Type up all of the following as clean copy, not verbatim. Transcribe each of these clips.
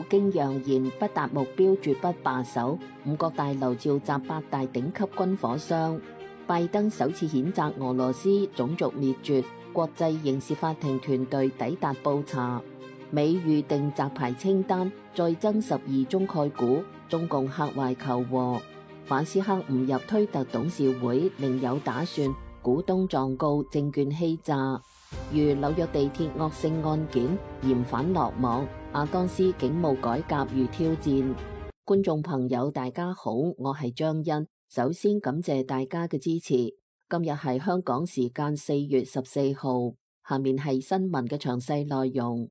京揚言不達目標絕不罷手，五角大樓召集8大頂級軍火商。拜登首次譴責俄羅斯種族滅絕，國際刑事法庭團隊抵達布查。美預定摘牌清單，再增12宗概股，中共客懷求和。馬斯克誤入推特董事會，另有打算，股東狀告證券欺詐。如紐約地鐵惡性案件，嫌犯落網，阿當斯警務改革遇挑戰。觀眾朋友大家好，我係張欣，首先感謝大家嘅支持。今日係香港時間4月14號，下面係新聞嘅詳細內容。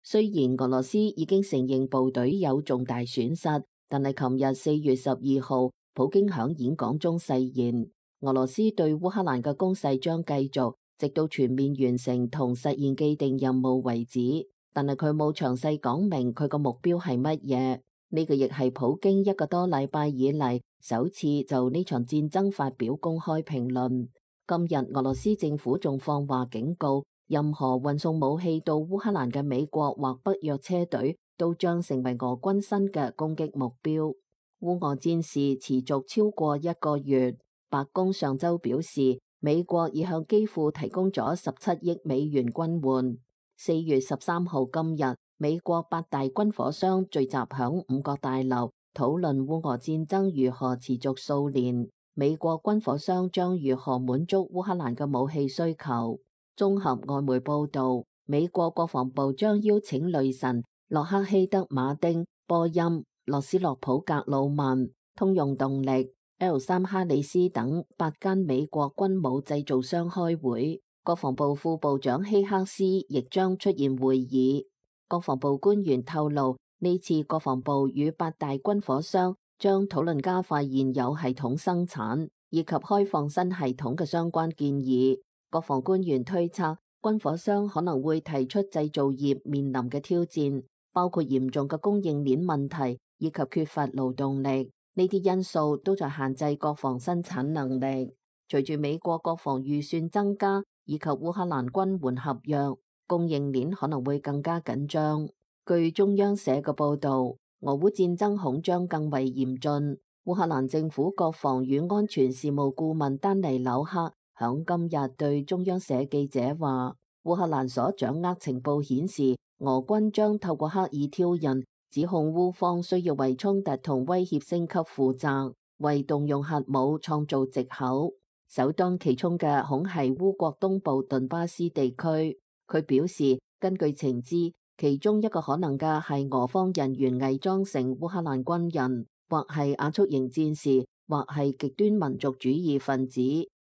雖然俄羅斯已經承認部隊有重大損失，但係琴日4月12號，普京響演講中誓言，俄羅斯對烏克蘭嘅攻勢將繼續，直到全面完成同實現既定任務為止。但係佢冇詳細講明佢個目標係乜嘢。呢個亦係普京一個多禮拜以嚟首次就呢場戰爭發表公開評論。今日俄羅斯政府仲放話警告，任何運送武器到烏克蘭嘅美國或北約車隊都將成為俄軍新嘅攻擊目標。烏俄戰事持續超過1個月，白宮上週表示，美國已向基輔提供咗17億美元軍援。4月13號今日，美國8大軍火商聚集響五角大樓，討論烏俄戰爭如何持續數年，美國軍火商將如何滿足烏克蘭嘅武器需求。綜合外媒報道，美國國防部將邀請雷神、洛克希德馬丁、波音、諾斯洛普格魯曼、通用動力、L3哈里斯等8間美國軍武製造商開會，國防部副部長希克斯亦將出現會議。國防部官員透露，呢次國防部與8大軍火商將討論加快現有系統生產以及開放新系統嘅相關建議。國防官員推測，軍火商可能會提出製造業面臨嘅挑戰，包括嚴重嘅供應鏈問題以及缺乏勞動力。呢啲因素都在限制國防生產能力。隨住美國國防預算增加以及烏克蘭軍援合約，供應鏈可能會更加緊張。據中央社嘅報導，俄烏戰爭恐將更為嚴峻。烏克蘭政府國防與安全事務顧問丹尼紐克響今日對中央社記者話，烏克蘭所掌握情報顯示，俄軍將透過刻意挑釁，指控烏方需要為衝突同威脅升級負責，為動用核武創造藉口。首當其衝嘅恐係烏國東部頓巴斯地區。佢表示，根據情資，其中一個可能嘅係俄方人員偽裝成烏克蘭軍人，或係亞速營戰士，或係極端民族主義分子，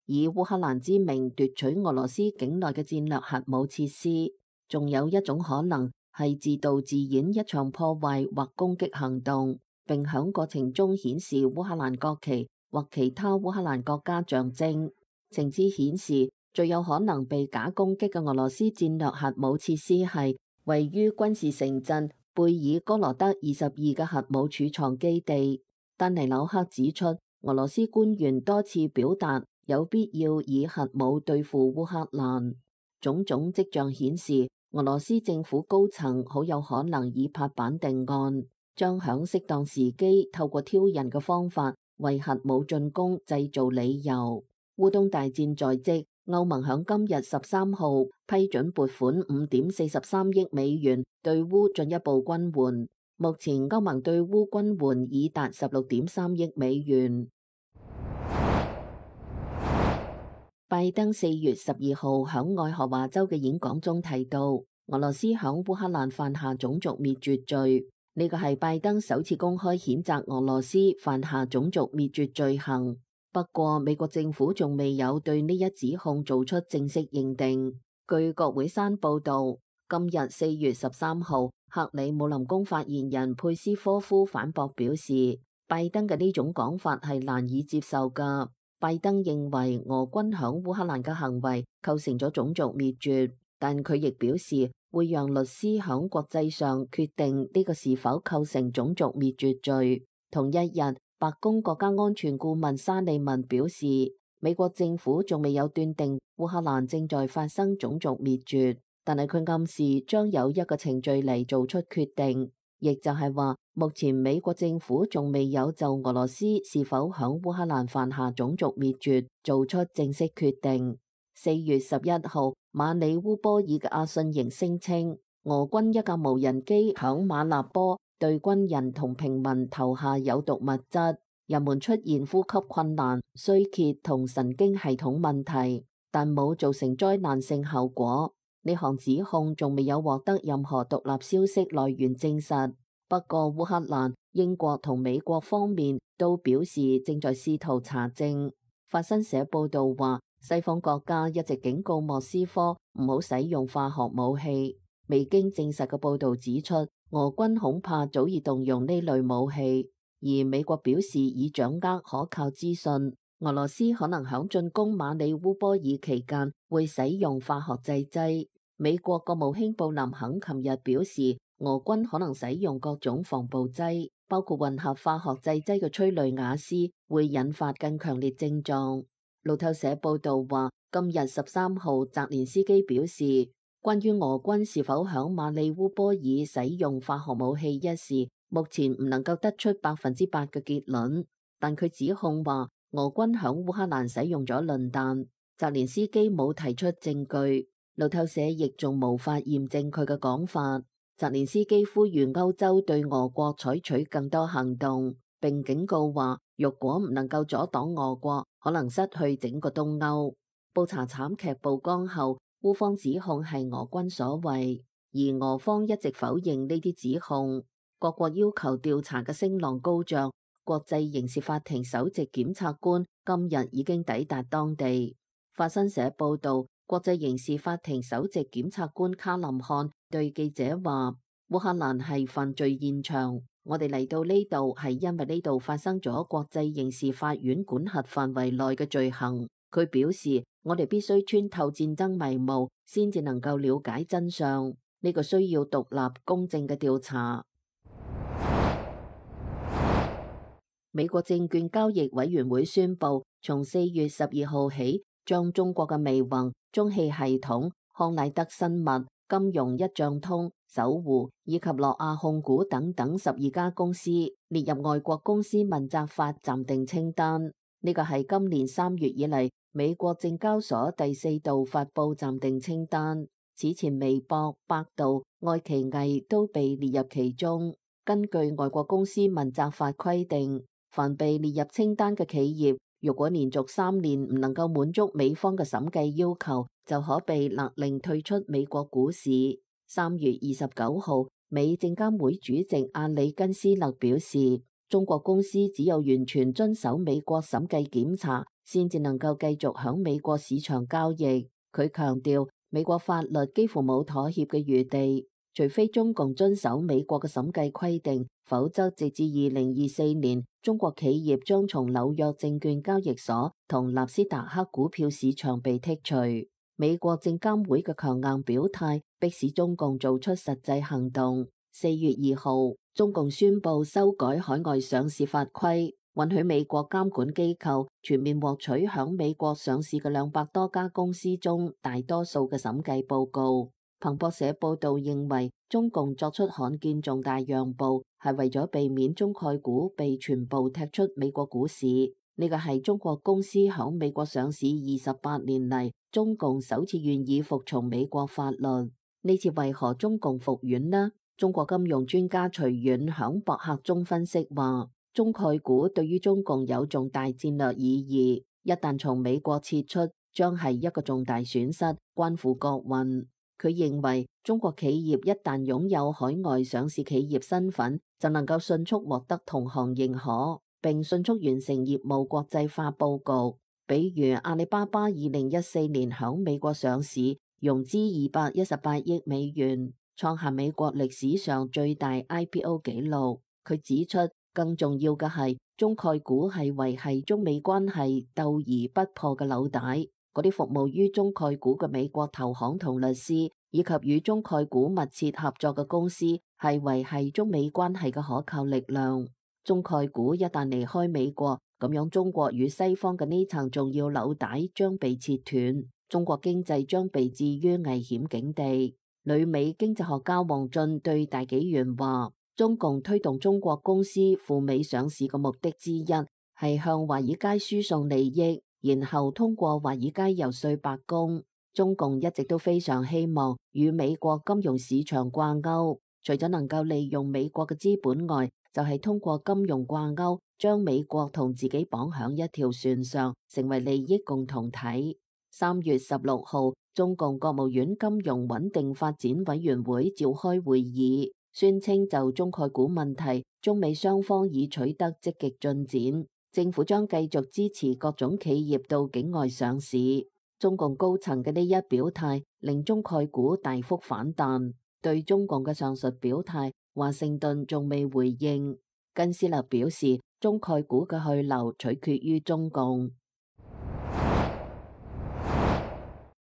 以烏克蘭之名奪取俄羅斯境內嘅戰略核武設施。仲有一種可能係自導自演一場破壞或攻擊行動，並響過程中顯示烏克蘭國旗或其他烏克蘭國家象徵。情資顯示，最有可能被假攻擊嘅俄羅斯戰略核武設施係位於軍事城鎮貝爾哥羅德22嘅核武儲藏基地。丹尼紐克指出，俄羅斯官員多次表達有必要以核武對付烏克蘭。種種跡象顯示，俄羅斯政府高層好有可能以拍板定案，將響適當時機透過挑釁嘅方法為核武進攻製造理由。烏東大戰在即，歐盟響今日13號批准撥款5.43億美元對烏進一步軍援。目前歐盟對烏軍援已達16.3億美元。拜登4月12號響愛荷華州嘅演講中提到，俄羅斯響烏克蘭犯下種族滅絕罪。呢個係拜登首次公開譴責俄羅斯犯下種族滅絕罪行。不過，美國政府仲未有對呢一指控做出正式認定。據國會山報導，今日4月13號，克里姆林宮發言人佩斯科夫反駁表示，拜登嘅呢種講法係難以接受㗎。拜登認為俄軍響烏克蘭嘅行為構成咗種族滅絕，但佢亦表示會讓律師響國際上決定呢個是否構成種族滅絕罪。同一日，白宮國家安全顧問沙利文表示，美國政府仲未有斷定烏克蘭正在發生種族滅絕，但係佢暗示將有一個程序嚟做出決定，亦就係話目前美國政府仲未有就俄羅斯是否響烏克蘭犯下種族滅絕做出正式決定。4月11號，馬里烏波爾嘅阿信營聲稱，俄軍一架無人機響馬納波對軍人同平民投下有毒物質，人們出現呼吸困難、衰竭同神經系統問題，但冇造成災難性後果。呢項指控仲未有獲得任何獨立消息來源證實。不過烏克蘭、英國同美國方面都表示正在試圖查證。法新社報道話，西方國家一直警告莫斯科唔好使用化學武器。未經證實嘅報道指出，俄軍恐怕早已動用呢類武器，而美國表示已掌握可靠資訊，俄羅斯可能響進攻馬里烏波爾期間會使用化學製劑。美國國務卿布林肯琴日表示，俄軍可能使用各種防暴劑，包括混合化學製劑嘅催淚瓦斯，會引發更強烈症狀。路透社報道話，今日13號，澤連斯基表示，關於俄軍是否響馬里烏波爾使用化學武器一事，目前唔能夠得出100%嘅結論，但佢指控話俄軍響烏克蘭使用咗磷彈。澤連斯基冇提出證據，路透社亦仲無法驗證佢嘅講法。澤連斯基呼籲歐洲對俄國採取更多行動，並警告話，若果唔能夠阻擋俄國，可能失去整個東歐。布查慘劇曝光後，烏方指控係俄軍所為，而俄方一直否認呢啲指控。各國要求調查嘅聲浪高漲，國際刑事法庭首席檢察官今日已經抵達當地。法新社報道，國際刑事法庭首席檢察官卡林漢對記者話，烏克蘭係犯罪現場，我哋嚟到呢度係因為呢度發生咗國際刑事法院管轄範圍內嘅罪行。佢表示，我哋必須穿透戰爭迷霧，先至能夠了解真相。呢個需要獨立公正嘅調查。美國證券交易委員會宣布，從4月12號起，將中國嘅微盟、中汽系統、康乃德生物、金融一賬通、搜狐以及諾亞控股等等12家公司列入外國公司問責法暫定清單。呢個係今年3月以嚟美國證交所第4度發佈暫定清單。此前微博、百度、愛奇藝都被列入其中。根據外國公司問責法規定，凡被列入清單嘅企業，如果連續3年唔能夠滿足美方嘅審計要求，就可被勒令退出美國股市。3月29號，美證監會主席阿里根斯勒表示，中國公司只有完全遵守美國審計檢查，先至能夠繼續響美國市場交易。佢強調，美國法律幾乎冇妥協嘅餘地，除非中共遵守美國嘅審計規定，否則直至2024年，中國企業將從紐約證券交易所同納斯達克股票市場被剔除。美國證監會嘅強硬表態，迫使中共做出實際行動。4月2號，中共宣布修改海外上市法規，允許美國監管機構全面獲取響美國上市嘅200多家公司中大多數嘅審計報告。彭博社報道認為，中共作出罕見重大讓步，係為咗避免中概股被全部踢出美國股市。呢個係中國公司響美國上市28年嚟，中共首次願意服從美國法律。呢次為何中共服軟呢？中國金融專家徐遠響博客中分析話，中概股對於中共有重大戰略意義，一旦從美國撤出，將係一個重大損失，關乎國運。佢認為，中國企業一旦擁有海外上市企業身份，就能夠迅速獲得同行認可，並迅速完成業務國際化佈局。比如阿里巴巴2014年響美國上市，融資218億美元，創下美國歷史上最大 IPO 紀錄。佢指出，更重要嘅係，中概股係維繫中美關係鬥而不破嘅紐帶。嗰啲服務於中概股嘅美國投行同律師，以及與中概股密切合作嘅公司，係維繫中美關係嘅可靠力量。中概股一旦離開美國，咁樣中國與西方嘅呢層重要紐帶將被切斷。中國經濟將被置於危險境地。旅美經濟學家王俊對大紀元話：中共推動中國公司赴美上市嘅目的之一係向華爾街輸送利益，然後通過華爾街遊說白宮。中共一直都非常希望與美國金融市場掛鈎，除咗能夠利用美國嘅資本外，就係通過金融掛鈎，將美國同自己綁響一條船上，成為利益共同體。3月16號，中共國務院金融穩定發展委員會召開會議，宣稱就中概股問題，中美雙方已取得積極進展，政府將繼續支持各種企業到境外上市。中共高層嘅呢一表態，令中概股大幅反彈。對中共嘅上述表態，華盛頓仲未回應。根斯勒表示，中概股嘅去留取決於中共。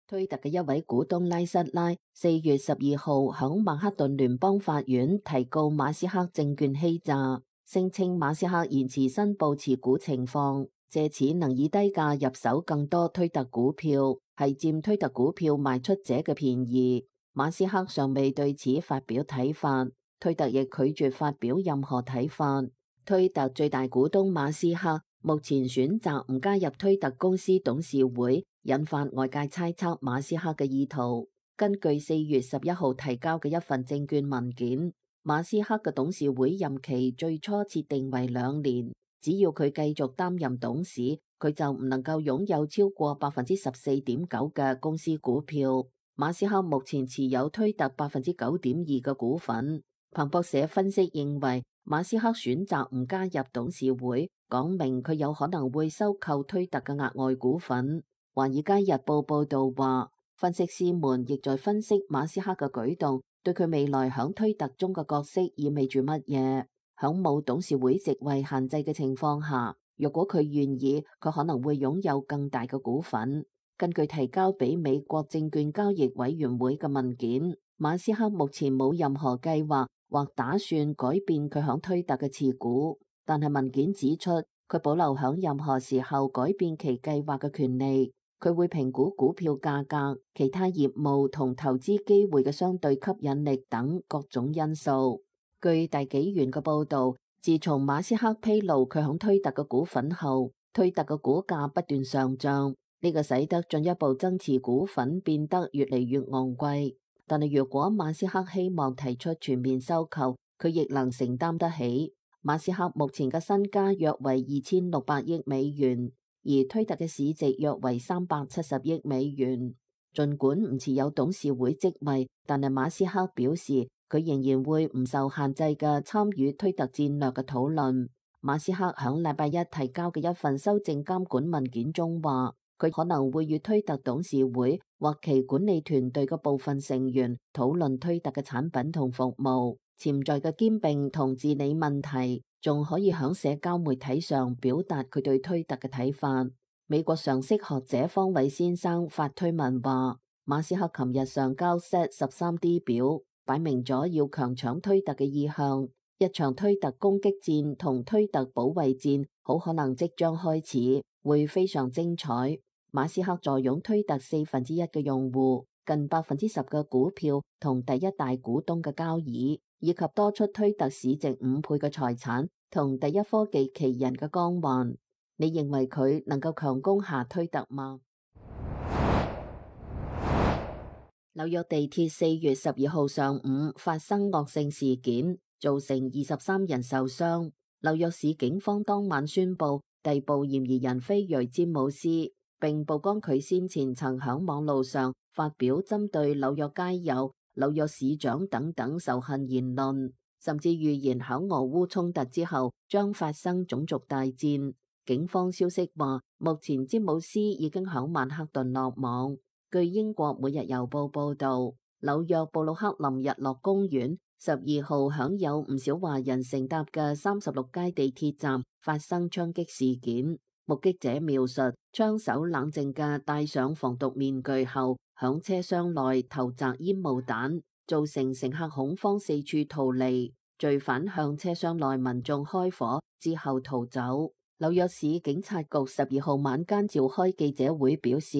推特嘅一位股東拉瑟拉4月12號響曼克頓聯邦法院提告馬斯克證券欺詐，聲稱馬斯克延遲申報持股情況，借此能以低價入手更多推特股票，係佔推特股票賣出者嘅便宜。馬斯克尚未對此發表睇法，推特亦拒絕發表任何睇法。推特最大股東馬斯克目前選擇唔加入推特公司董事會，引發外界猜測馬斯克嘅意圖。根據4月11號提交嘅一份證券文件，馬斯克嘅董事會任期最初設定為2年，只要佢繼續擔任董事，佢就唔能夠擁有超過14.9%嘅公司股票。馬斯克目前持有推特9.2%嘅股份。彭博社分析認為，馬斯克選擇唔加入董事會，講明佢有可能會收購推特嘅額外股份。華爾街日報報道話，分析師們亦在分析馬斯克嘅舉動對佢未來響推特中嘅角色意味住乜嘢。響冇董事會席位限制嘅情況下，若果佢願意，佢可能會擁有更大嘅股份。根據提交俾美國證券交易委員會嘅文件，馬斯克目前冇任何計劃或打算改變佢響推特嘅持股，但係文件指出，佢保留響任何時候改變其計劃嘅權利。佢會評估股票價格、其他業務同投資機會嘅相對吸引力等各種因素。據大紀元嘅報道，自從馬斯克披露佢響推特嘅股份後，推特嘅股價不斷上漲。呢個使得進一步增持股份變得越嚟越昂貴，但係如果馬斯克希望提出全面收購，佢亦能承擔得起。馬斯克目前嘅身家約為2600億美元，而推特嘅市值約為370億美元。儘管唔持有董事會職位，但係馬斯克表示佢仍然會唔受限制嘅參與推特戰略嘅討論。馬斯克響禮拜一提交嘅一份修正監管文件中話，佢可能會與推特董事會或其管理團隊嘅部分成員討論推特嘅產品同服務潛在嘅兼併同治理問題，仲可以響社交媒體上表達佢對推特嘅睇法。美國常識學者方偉先生發推文話，馬斯克琴日上交 Z13D 表，擺明咗要強搶推特嘅意向。一場推特攻擊戰同推特保衛戰好可能即將開始，會非常精彩。馬斯克坐擁推特1/4嘅用戶，近10%嘅股票同第一大股東嘅交易，以及多出推特市值5倍嘅財產同第一科技奇人嘅光環。你認為佢能夠強攻下推特嗎？紐約地鐵4月12號上午發生惡性事件，造成23人受傷。紐約市警方當晚宣布逮捕嫌疑人菲瑞詹姆斯，並曝光佢先前曾響網路上發表針對紐約街友、紐約市長等等仇恨言論，甚至預言響俄烏衝突之後將發生種族大戰。警方消息話，目前詹姆斯已經響曼克頓落網。據英國每日郵報報道，紐約布魯克林日落公園12號響有唔少華人乘搭嘅36街地鐵站發生槍擊事件。目擊者描述，槍手冷靜嘅戴上防毒面具後，響車廂內投擲煙霧彈，造成乘客恐慌四處逃離。罪犯向車廂內民眾開火之後逃走。紐約市警察局12號晚間召開記者會表示，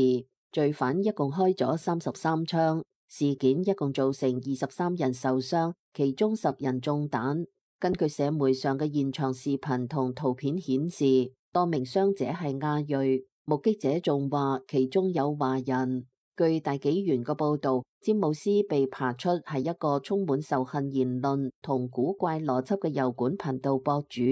罪犯一共開咗33槍，事件一共造成23人受傷，其中10人中彈。根據社媒上嘅現場視頻同圖片顯示，多名傷者係亞裔，目擊者仲話其中有華人。據大紀元嘅報道，詹姆斯被扒出係一個充滿仇恨言論同古怪邏輯嘅油管頻道博主。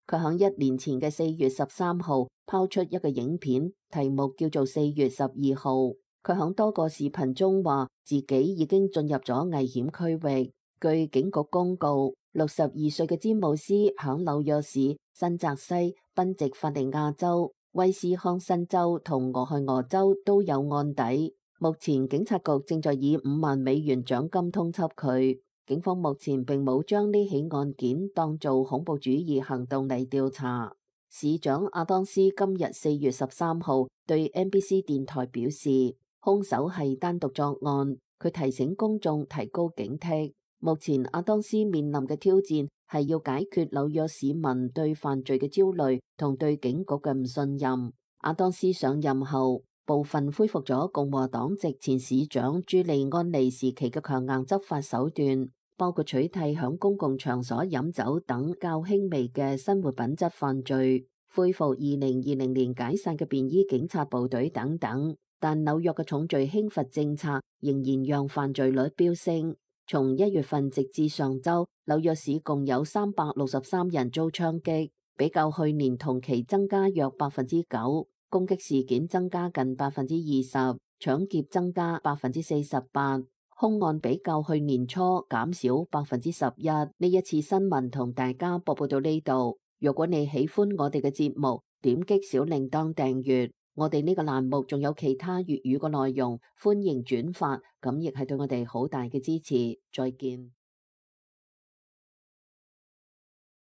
佢喺1年前嘅4月13號拋出一個影片，題目叫做4月12號。佢喺多個視頻中話自己已經進入咗危險區域。據警局公告，62歲嘅詹姆斯喺紐約市、新澤西、賓夕法尼亞州、威斯康辛州同俄亥俄州都有案底。目前警察局正在以5萬美元獎金通緝佢。警方目前並冇將呢起案件當做恐怖主義行動嚟調查。市長阿當斯今日4月13號對 NBC 電台表示，兇手係單獨作案，佢提醒公眾提高警惕。目前阿當斯面臨嘅挑戰係要解決紐約市民對犯罪嘅焦慮同對警局嘅唔信任。阿當斯上任後，部分恢復咗共和黨籍前市長朱利安尼時期嘅強硬執法手段，包括取締響公共場所飲酒等較輕微嘅生活品質犯罪，恢復2020年解散嘅便衣警察部隊等等。但紐約嘅重罪輕罰政策仍然讓犯罪率飆升。從1月份直至上週，紐約市共有363人遭槍擊，比較去年同期增加約9%。攻擊事件增加近20%，搶劫增加48%，兇案比較去年初減少11%。呢一次新聞同大家播報到呢度。如果你喜歡我哋嘅節目，點擊小鈴鐺訂閱。我哋呢個欄目仲有其他粵語嘅內容，歡迎轉發，咁亦係對我哋好大嘅支持。再見。